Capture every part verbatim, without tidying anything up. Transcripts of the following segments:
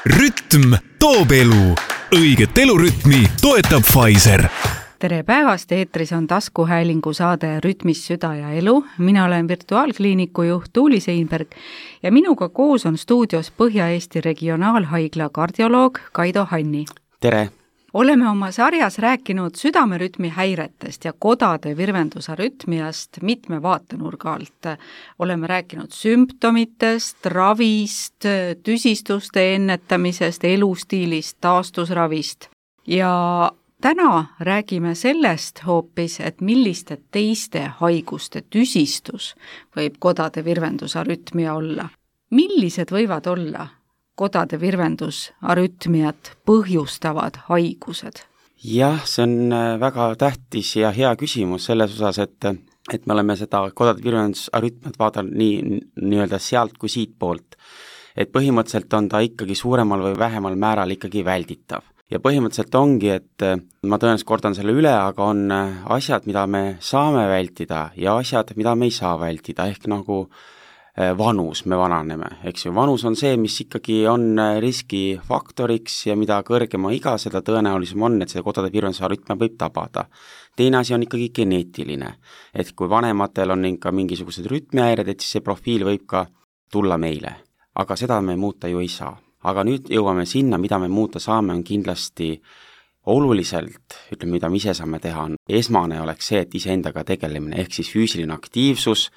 Rütm toob elu. Õiget elurütmi toetab Pfizer. Tere päevast, eetris on taskuhäälingu saade Rütmis süda ja elu. Mina olen virtuaalkliiniku juht Tuuli Seinberg ja minuga koos on stuudios Põhja-Eesti Regionaalhaigla kardioloog Kaido Hanni. Tere! Oleme oma sarjas rääkinud südamerütmi häiretest ja kodade virvendusarütmiast mitme vaatenurga alt. Oleme rääkinud sümptomitest, ravist, tüsistuste ennetamisest, elustiilist, taastusravist. Ja täna räägime sellest hoopis, et milliste teiste haiguste tüsistus võib kodade virvendusarütmia olla. Millised võivad olla kodade virvendusarütmiat põhjustavad haigused? Jah, see on väga tähtis ja hea küsimus selles osas, et, et me oleme seda kodade virvendusarütmiat vaadanud nii, nii-öelda sealt kui siit poolt. Et põhimõtteliselt on ta ikkagi suuremal või vähemal määral ikkagi välditav. Ja põhimõtteliselt ongi, et ma tõenäoliselt kordan selle üle, aga on asjad, mida me saame vältida ja asjad, mida me ei saa vältida, ehk nagu vanus, me vananeme, eks ju. Vanus on see, mis ikkagi on riskifaktoriks ja mida kõrgema iga, seda tõenäolisem on, et seda kodade virvendusarütmia võib tabada. Teine asi on ikkagi geneetiline, et kui vanematel on ikka mingisugused rütmihäired, et siis see profiil võib ka tulla meile. Aga seda me muuta ju ei saa. Aga nüüd jõuame sinna, mida me muuta saame, on kindlasti oluliselt, ütleme, mida me ise saame teha, on esmane oleks see, et iseendaga tegelemine, ehk siis füüsiline aktiivsus,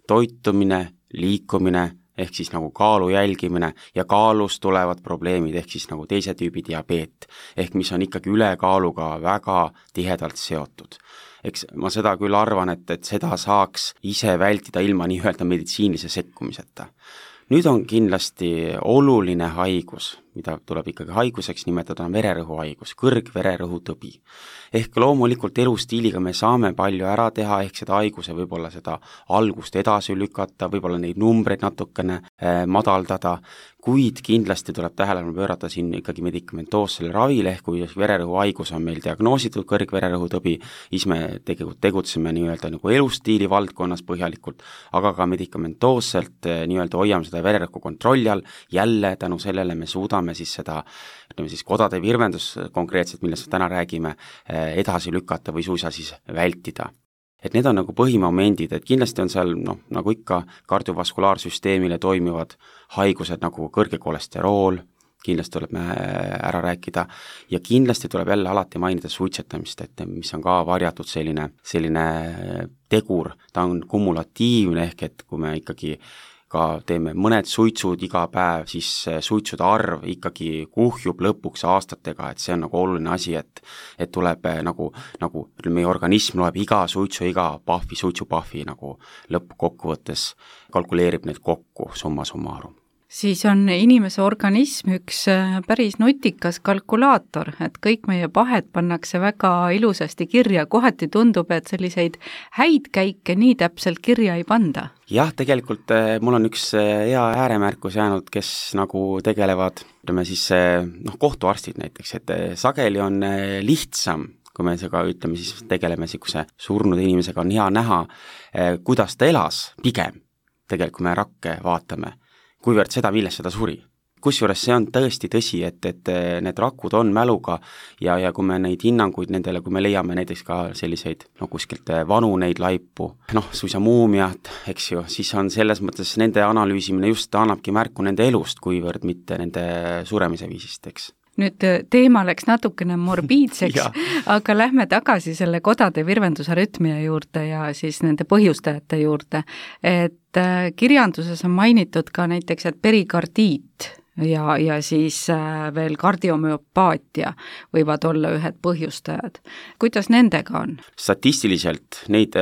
toitumine, liikumine, ehk siis nagu kaalu jälgimine ja kaalust tulevad probleemid, ehk siis nagu teise tüübi diabeet, ehk mis on ikkagi ülekaaluga väga tihedalt seotud. Eks ma seda küll arvan, et, et seda saaks ise vältida ilma nii-öelda meditsiinilise sekkumiseta. Nüüd on kindlasti oluline haigus, mida tuleb ikkagi haiguseks nimetada, on vererõhuhaigus, kõrgvererõhutõbi. Ehk loomulikult elustiiliga me saame palju ära teha, ehk seda haiguse võib-olla seda algust edasi lükata, võib-olla neid numbreid natukene eh, madaldada, kuid kindlasti tuleb tähelepanu pöörata siin ikkagi medikamentoossele ravile, ehk kui vererõhuhaigus on meil diagnoositud kõrgvererõhutõbi, siis me tegelikult tegutseme nii-öelda nagu elustiili valdkonnas põhjalikult, aga ka medikamentoosselt eh, nii-öelda hoiame seda vererõhku kontrolli all, jälle tänu sellele me suudame siis seda, ütleme siis kodade virvendus konkreetselt, millest täna räägime, edasi lükata või suisa siis vältida. Et need on nagu põhimomendid, et kindlasti on seal, noh, nagu ikka kardiovaskulaarsüsteemile toimivad haigused nagu kõrge kolesterool, kindlasti tuleb me ära rääkida ja kindlasti tuleb jälle alati mainida suitsetamist, et mis on ka varjatud selline, selline tegur, ta on kumulatiivne, ehk et kui me ikkagi ka teeme mõned suitsud iga päev, siis suitsude arv ikkagi kuhjub lõpuks aastatega, et see on nagu oluline asi, et, et tuleb nagu, nagu meie organism loeb iga suitsu, iga pahvi, suitsupahvi nagu lõppkokkuvõttes kalkuleerib need kokku summa summarum. Siis on inimese organism üks päris nutikas kalkulaator, et kõik meie pahed pannakse väga ilusasti kirja, kohati tundub, et selliseid häid käike nii täpselt kirja ei panda. Jah, tegelikult mul on üks hea ääremärkus jäänud, kes nagu tegelevad, ütleme siis noh, kohtuarstid näiteks, et sageli on lihtsam, kui me seda ütleme, siis tegeleme siukse surnud inimesega, on hea näha, kuidas ta elas pigem, tegelikult kui me rakke vaatame, kuivõrd seda, millest seda suri. Kusjuures see on tõesti tõsi, et, et need rakud on mäluga ja, ja kui me neid hinnanguid nendele, kui me leiame näiteks ka selliseid no, kuskilt vanu neid laipu, noh, suisa muumiat, eks ju, siis on selles mõttes nende analüüsimine just annabki märku nende elust, kuivõrd mitte nende suremise viisist, eks. Nüüd teema läks natukene morbiidseks, aga lähme tagasi selle kodade virvendusarütmia juurde ja siis nende põhjustajate juurde. Et kirjanduses on mainitud ka näiteks, et perikardiit ja, ja siis veel kardiomüopaatia võivad olla ühed põhjustajad. Kuidas nendega on? Statistiliselt neid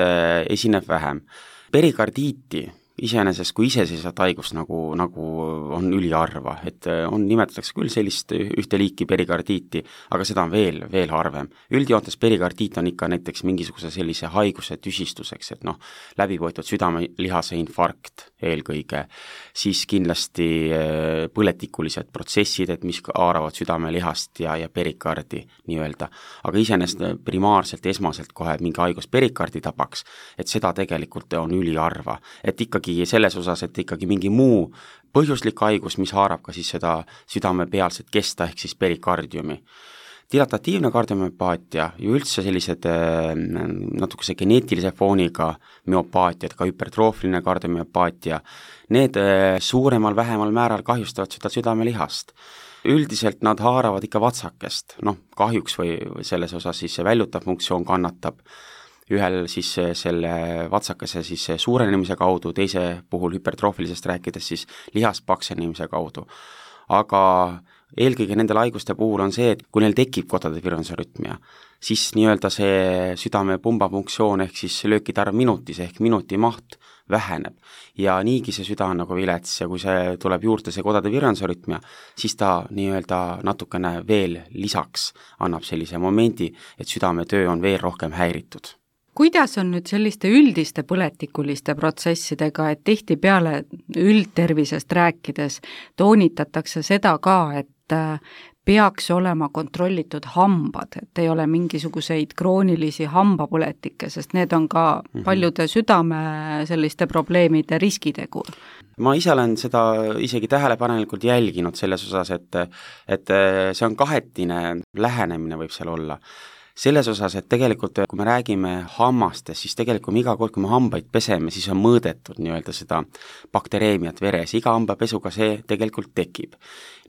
esineb vähem. Perikardiiti iseenesest kui iseseisvat haigust nagu, nagu on üliharva, et on, nimetatakse küll sellist ühte liiki perikardiiti, aga seda on veel, veel harvem. Üldjoontes perikardiit on ikka näiteks mingisuguse sellise haiguse tüsistuseks, et noh, läbivõetud südamelihase infarkt eelkõige, siis kindlasti põletikulised protsessid, et mis haaravad südamelihast ja, ja perikardi nii-öelda, aga iseenesest primaarselt, esmaselt kohe mingi haigus perikardi tabaks, et seda tegelikult on üliharva, et ikkagi ikkagi selles osas, et ikkagi mingi muu põhjuslik haigus, mis haarab ka siis seda südamepealset kesta ehk siis perikardiumi. Dilatatiivne kardiomüopaatia ja üldse sellised natukese geneetilise fooniga müopaatiad, ka hypertroofiline kardiomüopaatia, need suuremal vähemal määral kahjustavad seda südamelihast. Üldiselt nad haaravad ikka vatsakest, noh kahjuks või selles osas siis see väljutav funktsioon kannatab, ühel siis selle vatsakese siis suurenemise kaudu, teise puhul hüpertroofilisest rääkides siis lihas paksenemise kaudu. Aga eelkõige nendel haiguste puhul on see, et kui neil tekib kodade virvendusarütmia, siis nii-öelda see südame pumbafunktsioon ehk siis löökide arv minutis ehk minuti maht väheneb ja niigi see süda on nagu vilets ja kui see tuleb juurde see kodade virvendusarütmia, siis ta nii-öelda natukene veel lisaks annab sellise momendi, et südametöö on veel rohkem häiritud. Kuidas on nüüd selliste üldiste põletikuliste protsessidega, et tihtipeale üldtervisest rääkides toonitatakse seda ka, et peaks olema kontrollitud hambad, et ei ole mingisuguseid kroonilisi hambapõletikke, sest need on ka paljude südame selliste probleemide riskitegur. Ma ise olen seda isegi tähelepanelikult jälginud selles osas, et, et see on kahetine lähenemine võib seal olla. Selles osas, et tegelikult kui me räägime hammastest, siis tegelikult iga kord, kui me hambaid peseme, siis on mõõdetud nii-öelda seda baktereemiat veres, iga hambapesuga see tegelikult tekib.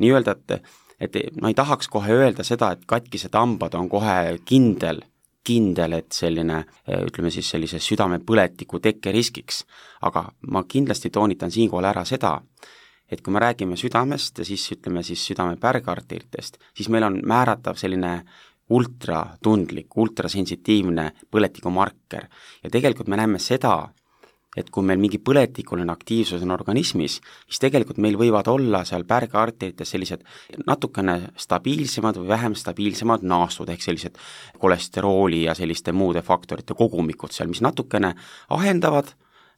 Nii-öelda, et, et ma ei tahaks kohe öelda seda, et katkised hambad on kohe kindel, kindel, et selline, ütleme siis sellise südamepõletiku tekkeriskiks, aga ma kindlasti toonitan siinkohal ära seda, et kui me räägime südamest ja siis ütleme siis südame pärgarteritest, siis meil on määratav selline ultratundlik, ultrasensitiivne põletikumarker ja tegelikult me näeme seda, et kui meil mingi põletikuline aktiivsus on organismis, siis tegelikult meil võivad olla seal pärgaarterites sellised natukene stabiilsemad või vähem stabiilsemad naastud, ehk sellised kolesterooli ja selliste muude faktorite kogumikud seal, mis natukene ahendavad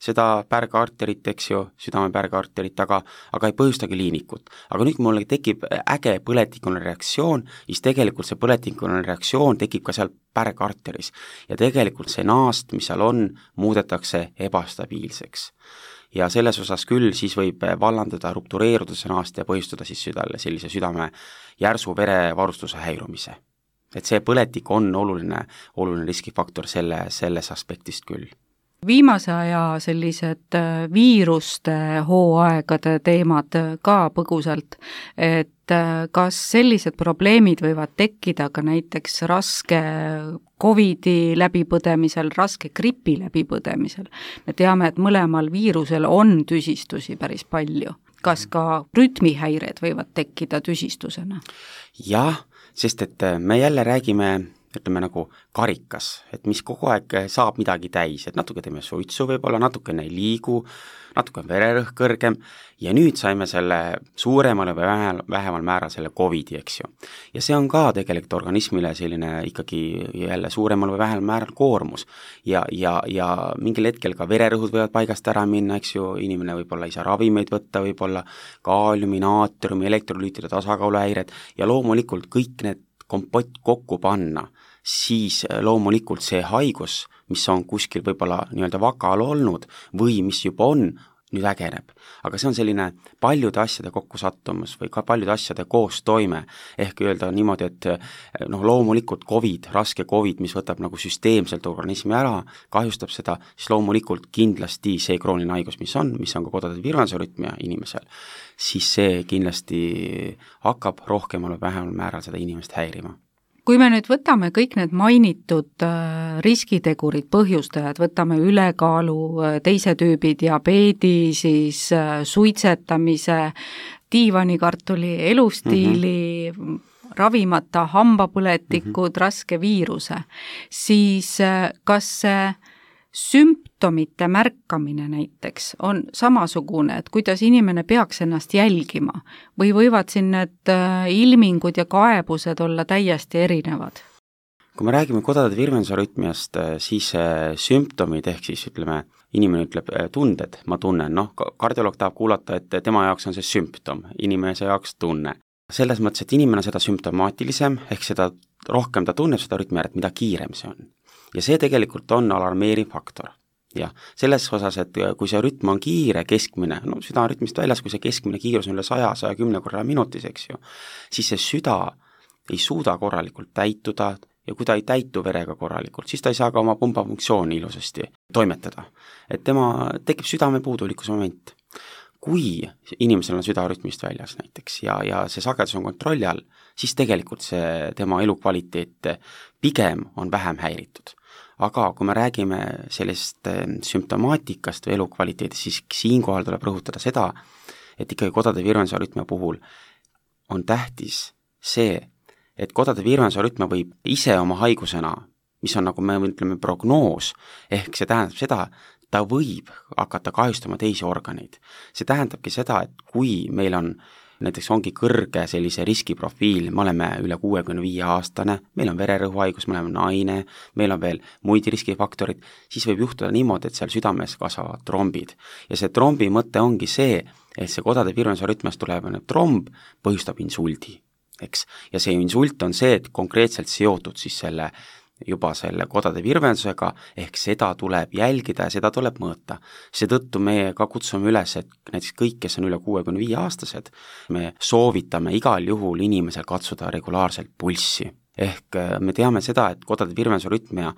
seda pärgaarterit, eks ju, südame pärgaarterit, aga, aga ei põhjustagi liinikut. Aga nüüd, kui mulle tekib äge põletikuline reaktsioon, siis tegelikult see põletikuline reaktsioon tekib ka seal pärgaarteris ja tegelikult see naast, mis seal on, muudetakse ebastabiilseks. Ja selles osas küll siis võib vallandada, ruptureeruda see naast ja põhjustada siis südale sellise südame järsu verevarustuse häirumise. Et see põletik on oluline, oluline riskifaktor selle, selles aspektist küll. Viimase aja sellised viiruste hooaegade teemad ka põgusalt, et kas sellised probleemid võivad tekkida ka näiteks raske Covidi läbipõdemisel, raske gripi läbipõdemisel. Me teame, et mõlemal viirusel on tüsistusi päris palju. Kas ka rütmihäired võivad tekkida tüsistusena? Jah, sest et me jälle räägime ütleme nagu karikas, et mis kogu aeg saab midagi täis, et natuke teeme suitsu võib-olla, natukene ei liigu, natuke on vererõhk kõrgem ja nüüd saime selle suuremale või vähemal määral selle Covidi, eks ju. Ja see on ka tegelikult organismile selline ikkagi jälle suuremal või vähemal määral koormus ja, ja, ja mingil hetkel ka vererõhud võivad paigast ära minna, eks ju, inimene võib-olla ei saa ravimeid võtta, võib-olla kaaliumi, naatriumi, elektrolüütide tasakaaluhäired ja loomulikult kõik need kompott kokku panna, siis loomulikult see haigus, mis on kuskil võib-olla nii-öelda vakal olnud või mis juba on, nüüd ägeneb. Aga see on selline paljude asjade kokkusattumus või ka paljude asjade koostoime, ehk öelda niimoodi, et noh, loomulikult COVID, raske COVID, mis võtab nagu süsteemselt organismi ära, kahjustab seda, siis loomulikult kindlasti see krooniline haigus, mis on, mis on ka kodade virvendusarütmia inimesel, siis see kindlasti hakkab rohkemal või vähemal määral seda inimest häirima. Kui me nüüd võtame kõik need mainitud riskitegurid, põhjustajad, võtame ülekaalu, teise tüübi diabeedi, siis suitsetamise, diivanikartuli, elustiili, mm-hmm. ravimata hambapõletikud, mm-hmm. raske viiruse, siis kas see sümptomite märkamine näiteks on samasugune, et kuidas inimene peaks ennast jälgima või võivad siin need ilmingud ja kaebused olla täiesti erinevad? Kui me räägime kodade virvendusarütmiast, siis sümptomid ehk siis ütleme, inimene ütleb tunded, ma tunnen, noh, kardioloog tahab kuulata, et tema jaoks on see sümptom, inimese jaoks tunne. Selles mõttes, et inimene on seda sümptomaatilisem, ehk seda rohkem ta tunneb seda rütmi ära, et mida kiirem see on. Ja see tegelikult on alarmeeriv faktor. jah, selles osas, et kui see rütm on kiire, keskmine, no süda on rütmist väljas, kui see keskmine kiirus on üle saja, saja kümne korra minutis, eks ju, siis see süda ei suuda korralikult täituda ja kui ta ei täitu verega korralikult, siis ta ei saa ka oma pumbafunktsiooni ilusasti toimetada. Et tema tekib südamepuudulikkuse moment. Kui inimesel on süda rütmist väljas näiteks ja, ja see sagedus on kontrolli all, siis tegelikult see tema elukvaliteet pigem on vähem häiritud. Aga kui me räägime sellest sümptomaatikast või elukvaliteedist, siis siinkohal tuleb rõhutada seda, et ikkagi kodade virvendusarütmia puhul on tähtis see, et kodade virvendusarütmia võib ise oma haigusena, mis on nagu me ütleme prognoos, ehk see tähendab seda, ta võib hakata kahjustama teisi organeid. See tähendabki seda, et kui meil on näiteks ongi kõrge sellise riskiprofiil, me oleme üle kuuekümne viie aastane, meil on vererõhuhaigus, me oleme naine, meil on veel muid riskifaktorid, siis võib juhtuda niimoodi, et seal südames kasvavad trombid. Ja see trombi mõte ongi see, et see kodade virvendusarütmiast tuleb tromb, põhjustab insuldi, eks. Ja see insult on see, et konkreetselt seotud siis selle juba selle kodade virvendusega, ehk seda tuleb jälgida ja seda tuleb mõõta. Seetõttu me ka kutsume üles, et näiteks kõik, kes on üle kuuekümne viie aastased, me soovitame igal juhul inimesel katsuda regulaarselt pulssi. Ehk me teame seda, et kodade virvendusarütmia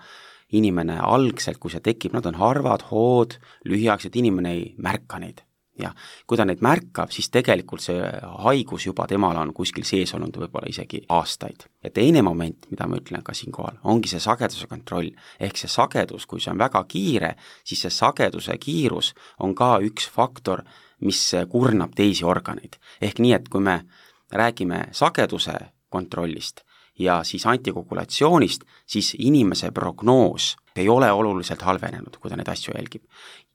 inimene algselt, kui see tekib, nad on harvad, hood, lühiaegsed, inimene ei märka neid. Ja kui ta neid märkab, siis tegelikult see haigus juba temal on kuskil sees olnud võib-olla isegi aastaid. Ja teine moment, mida ma ütlen ka siinkohal, ongi see sageduse kontroll. Ehk see sagedus, kui see on väga kiire, siis see sageduse kiirus on ka üks faktor, mis kurnab teisi organeid. Ehk nii, et kui me räägime sageduse kontrollist ja siis antikogulatsioonist, siis inimese prognoos ei ole oluliselt halvenenud, kui ta neid asju jälgib.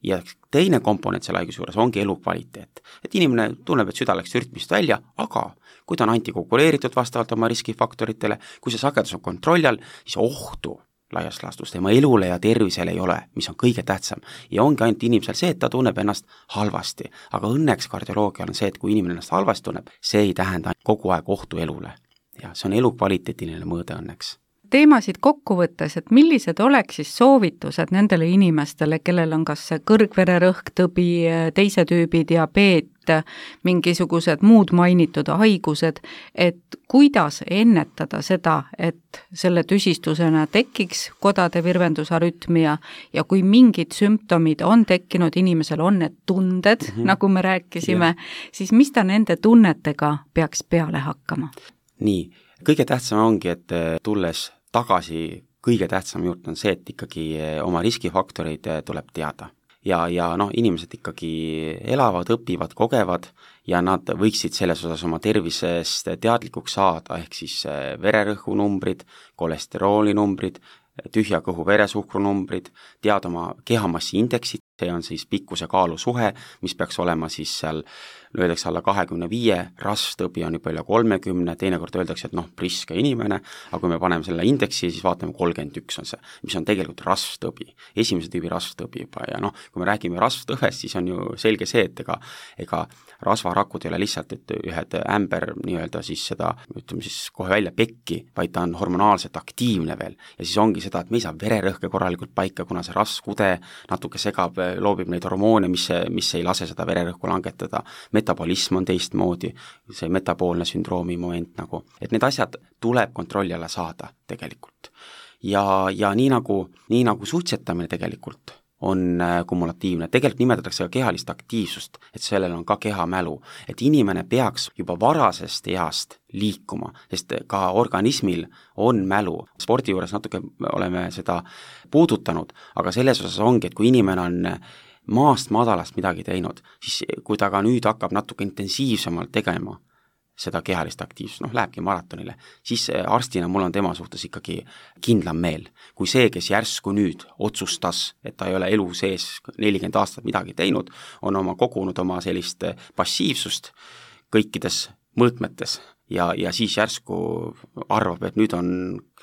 Ja teine komponent selle haiguse juures ongi elukvaliteet. Et inimene tunneb, et süda läks rütmist välja, aga kui ta on antikoguleeritud vastavalt oma riskifaktoritele, kui see sagedus on kontrolli all, siis ohtu laias laastus tema elule ja tervisele ei ole, mis on kõige tähtsam. Ja ongi ainult inimesel see, et ta tunneb ennast halvasti. Aga õnneks kardioloogial on see, et kui inimene ennast halvasti tunneb, see ei tähenda kogu aeg ohtu elule. Ja see on elukvaliteetiline mõõde õnneks. Teemasid kokku võttes, et millised oleks siis soovitused nendele inimestele, kellel on kas see kõrgvererõhk, tõbi, teise tüübi diabeet, mingisugused muud mainitud haigused, et kuidas ennetada seda, et selle tüsistusena tekiks kodade virvendusarütmia ja kui mingid sümptomid on tekkinud, inimesel on need tunded, mm -hmm. nagu me rääkisime, ja. Siis mis ta nende tunnetega peaks peale hakkama? Nii, kõige tähtsam ongi, et tulles tagasi kõige tähtsam juurde on see, et ikkagi oma riskifaktoreid tuleb teada. Ja, ja noh, inimesed ikkagi elavad, õpivad, kogevad ja nad võiksid selles osas oma tervisest teadlikuks saada, ehk siis vererõhu numbrid, kolesterooli numbrid, tühja kõhu veresuhkru numbrid, teada oma kehamassi indeksit, see on siis pikkuse kaalu suhe, mis peaks olema siis seal öeldakse alla kahekümne viie, rasvtõbi on juba üle kolmekümne, teinekord öeldakse, et noh, priske inimene, aga kui me paneme selle indeksi, siis vaatame kolmkümmend üks on see, mis on tegelikult rasvtõbi, esimese tüübi rasvtõbi juba ja noh, kui me räägime rasvtõvest, siis on ju selge see, et ega, ega rasvarakud ei ole lihtsalt, et ühed ämber nii-öelda siis seda, ütleme siis kohe välja pekki, vaid ta on hormonaalselt aktiivne veel ja siis ongi seda, et me ei saa vererõhke korralikult paika, kuna see rasvkude natuke segab, loobib neid hormoone, mis, mis ei lase seda vererõhku langetada, metabolism on teistmoodi, see metaboolne sündroomi moment nagu, et need asjad tuleb kontrolli alla saada tegelikult. Ja, ja nii nagu, nii nagu suitsetamine tegelikult on kumulatiivne, tegelikult nimetatakse ka kehalist aktiivsust, et sellel on ka kehamälu, et inimene peaks juba varasest east liikuma, sest ka organismil on mälu. Spordi juures natuke oleme seda puudutanud, aga selles osas ongi, et kui inimene on maast madalast midagi teinud, siis kui ta ka nüüd hakkab natuke intensiivsemalt tegema seda kehalist aktiivsust, noh, lähebki maratonile, siis arstina mul on tema suhtes ikkagi kindlam meel, kui see, kes järsku nüüd otsustas, et ta ei ole elu sees nelikümmend aastat midagi teinud, on oma kogunud oma sellist passiivsust kõikides mõõtmetes ja, ja siis järsku arvab, et nüüd on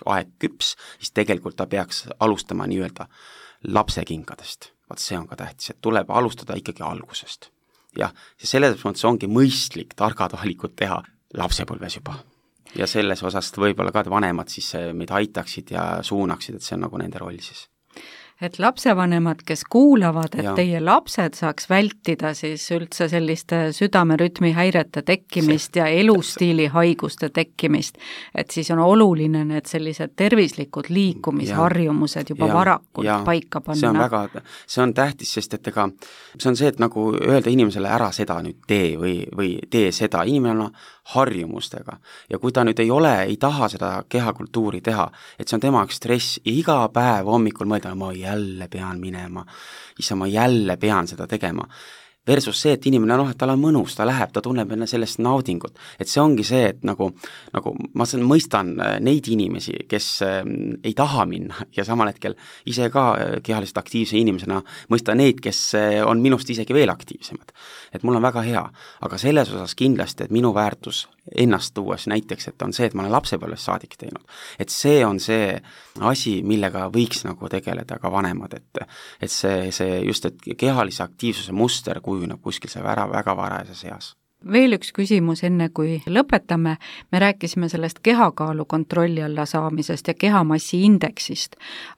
aeg küps, siis tegelikult ta peaks alustama nii-öelda lapsekinkadest. Vaat see on ka tähtis, et tuleb alustada ikkagi algusest. Jah, ja selles mõttes ongi mõistlik targad valikud teha lapsepõlves juba. Ja selles osast võib-olla ka vanemad siis meid aitaksid ja suunaksid, et see on nagu nende roll siis. et lapsevanemad, kes kuulavad, et ja. teie lapsed saaks vältida siis üldse selliste südamerütmi häirete tekkimist see, ja elustiili haiguste tekkimist, et siis on oluline need sellised tervislikud liikumisharjumused juba ja, varakult ja, paika panna. See on väga, see on tähtis, sest et ega see on see, et nagu öelda inimesele ära seda nüüd tee või, või tee seda, inimene on harjumustega ja kui ta nüüd ei ole, ei taha seda kehakultuuri teha, et see on tema stress ja iga päev hommikul mõelda, ma jälle pean minema, issa ma jälle pean seda tegema. Versus see, et inimene, noh, et tal on mõnus, ta läheb, ta tunneb enne sellest naudingut. Et see ongi see, et nagu, nagu ma mõistan neid inimesi, kes ei taha minna ja samal hetkel ise ka kehaliselt aktiivse inimesena mõista neid, kes on minust isegi veel aktiivsemad. Et mul on väga hea, aga selles osas kindlasti, et minu väärtus ennast tuues näiteks, et on see, et ma olen lapsepõlves saadik teinud. Et see on see asi, millega võiks nagu tegeleda ka vanemad, et, et see, see just, et kehalise aktiivsuse muster kujuneb kuskil see väga, väga varajases eas. Veel üks küsimus enne, kui lõpetame. Me rääkisime sellest kehakaalu kontrolli alla saamisest ja kehamassi indeksist,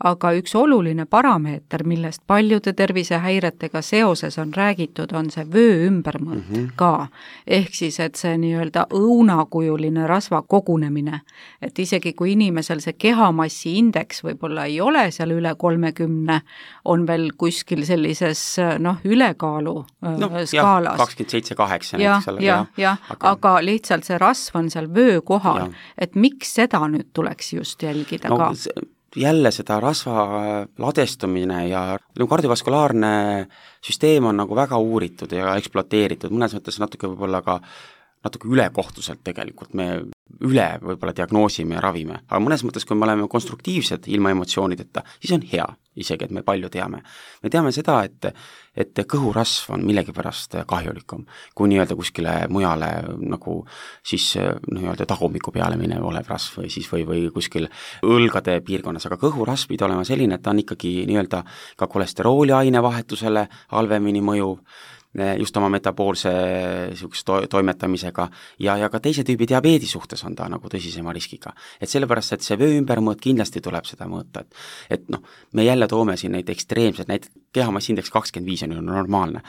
aga üks oluline parameeter, millest paljude tervisehäiretega seoses on räägitud, on see vöö ümbermõõt mm -hmm. ka. Ehk siis, et see nii-öelda õunakujuline rasva kogunemine, et isegi kui inimesel see kehamassi indeks võib-olla ei ole seal üle kolmekümne, on veel kuskil sellises noh, ülekaalu no, skaalas. kakskümmend seitse kaheksa näiteks. jah, jah, aga... aga lihtsalt see rasv on seal vöö kohal, et miks seda nüüd tuleks just jälgida no, ka? Jälle seda rasva ladestumine ja kardiovaskulaarne süsteem on nagu väga uuritud ja eksploateeritud, mõnes mõttes natuke võib-olla ka natuke ülekohtuselt tegelikult me üle võib-olla diagnoosime ja ravime, aga mõnes mõttes, kui me oleme konstruktiivsed ilma emotsioonideta, siis on hea, isegi et me palju teame. Me teame seda, et, et kõhurasv on millegipärast kahjulikum, kui nii-öelda kuskile mujale nagu siis nii-öelda tagumiku peale minev olev rasv või siis või, või kuskil õlgade piirkonnas, aga kõhurasv pidi olema selline, et ta on ikkagi nii-öelda ka kolesterooli ainevahetusele halvemini mõjuv, just oma metaboolse to- toimetamisega ja, ja ka teise tüübi diabeedi suhtes on ta nagu tõsisema riskiga. Et sellepärast, et see vöö ümbermõõt kindlasti tuleb seda mõõta, et, et noh, me jälle toome siin neid ekstreemsed, näiteks kehamasindeks kakskümmend viis on ju normaalne,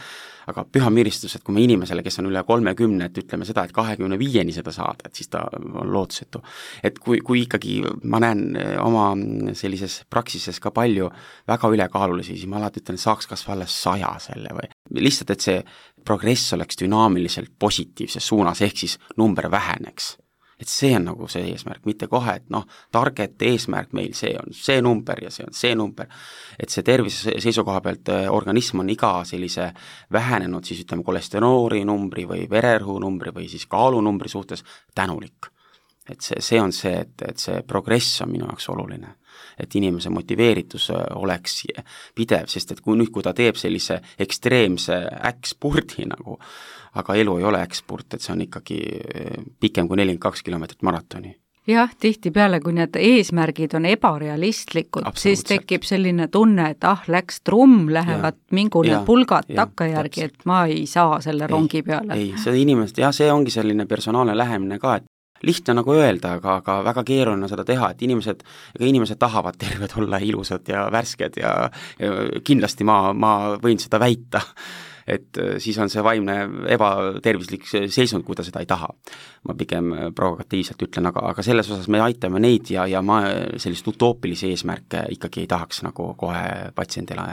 aga püha müristus, et kui me inimesele, kes on üle kolmekümne, et ütleme seda, et kahekümne viieni seda saada, et siis ta on lootusetu. Et kui, kui ikkagi ma näen oma sellises praksises ka palju väga ülekaalulisi, siis ma alati ütlen, et saaks kas või alles saja selle või lihtsalt, et see progress oleks dünaamiliselt positiivses suunas, ehk siis number väheneks. Et see on nagu see eesmärk, mitte kohe, et noh, target eesmärk meil see on see number ja see on see number, et see tervise seisukoha pealt organism on iga sellise vähenenud siis ütleme kolesterooli numbri või vererõhu numbri või siis kaalu numbri suhtes tänulik. Et see, see on see, et, et see progress on minu jaoks oluline, et inimese motiveeritus oleks pidev, sest et kui nüüd, kui ta teeb sellise ekstreemse äkkspurdi nagu, aga elu ei ole äkkspurt, et see on ikkagi pikem kui nelikümmend kaks kilomeetrit maratoni. Jah, tihtipeale, kui need eesmärgid on ebarealistlikud, siis tekib selline tunne, et ah, läks trumm, lähevad ja, mingune ja, pulgad ja, takkajärgi, et ma ei saa selle ei, rongi peale. Ei, see inimest, jah, see ongi selline personaalne lähemine ka, et lihtne nagu öelda, aga, aga väga keeruline seda teha, et inimesed, ega inimesed tahavad terved olla ilusad ja värsked ja, ja kindlasti ma, ma võin seda väita, et siis on see vaimne ebatervislik seisund, kui ta seda ei taha. Ma pigem provokatiivselt ütlen, aga, aga selles osas me aitame neid ja, ja ma sellist utoopilisi eesmärke ikkagi ei tahaks nagu kohe patsiendile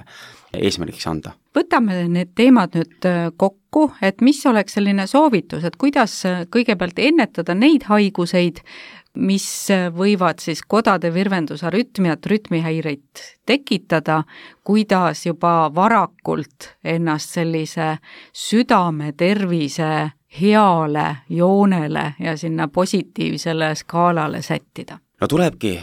eesmärgiks anda. Võtame need teemad nüüd kokku, et mis oleks selline soovitus, et kuidas kõigepealt ennetada neid haiguseid, mis võivad siis kodade virvendusarütmiat, rütmihäireid tekitada, kuidas juba varakult ennast sellise südame tervise heale joonele ja sinna positiivsele skaalale sättida. No tulebki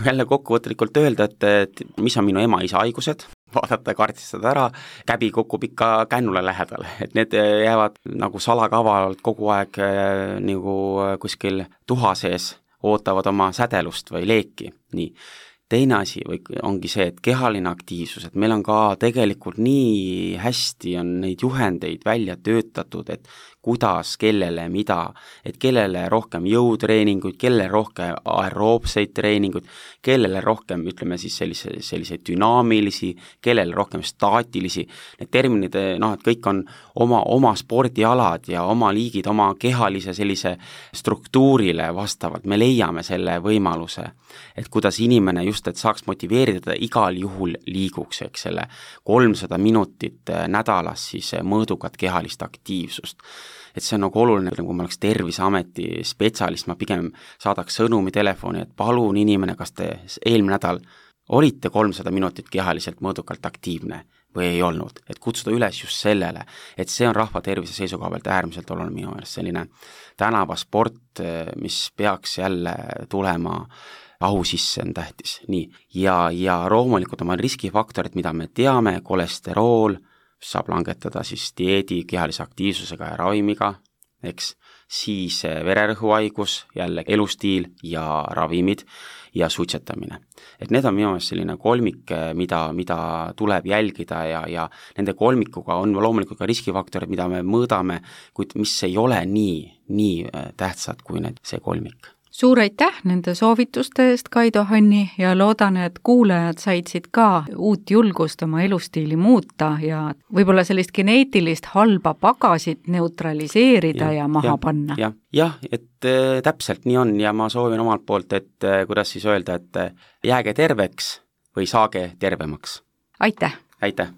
jälle kokkuvõtlikult öelda, et, et mis on minu ema-isa haigused, vaadata ja kaardistada ära, käbi kukub ikka kännule lähedale, et need jäävad nagu salakavalalt kogu aeg nagu kuskil tuha sees, ootavad oma sädelust või leeki, nii. teine asi või ongi see, et kehaline aktiivsus, et meil on ka tegelikult nii hästi on neid juhendeid välja töötatud, et kuidas, kellele, mida, et kellele rohkem jõutreeninguid, kellele rohkem aeroobseid treeninguid, kellele rohkem, ütleme siis sellise, selliseid dünaamilisi, kellele rohkem staatilisi, need terminid, noh, et kõik on oma, oma spordialad ja oma liigid, oma kehalise sellise struktuurile vastavalt, me leiame selle võimaluse, et kuidas inimene just, et saaks motiveerida, igal juhul liiguks, eks selle kolmsada minutit nädalas siis mõõdukat kehalist aktiivsust. Et see on nagu oluline, kui ma oleks Terviseameti spetsialist, ma pigem saadaks sõnumi telefoni, et palun inimene, kas te eelmine nädal olite kolmsada minutit kehaliselt mõõdukalt aktiivne või ei olnud, et kutsuda üles just sellele, et see on rahva tervise seisukoha pealt äärmiselt oluline minu meelest, selline tänavasport, mis peaks jälle tulema ahu sisse, on tähtis, nii. Ja, ja loomulikult oma riskifaktorid, mida me teame, kolesterool, saab langetada siis dieedi, kehalise aktiivsusega ja ravimiga, eks, siis vererõhuhaigus, jälle elustiil ja ravimid ja suitsetamine. Et need on minu meelest selline kolmik, mida, mida tuleb jälgida ja, ja nende kolmikuga on loomulikult ka riskifaktorid, mida me mõõdame, kuid mis ei ole nii, nii tähtsad kui need, see kolmik. Suur aitäh nende soovituste eest, Kaido Hanni, ja loodan, et kuulajad said siit ka uut julgust oma elustiili muuta ja võib-olla sellist geneetilist halba pagasit neutraliseerida ja, ja maha ja, panna. jah, ja, et äh, täpselt nii on ja ma soovin omalt poolt, et äh, kuidas siis öelda, et äh, jääge terveks või saage tervemaks. Aitäh! Aitäh!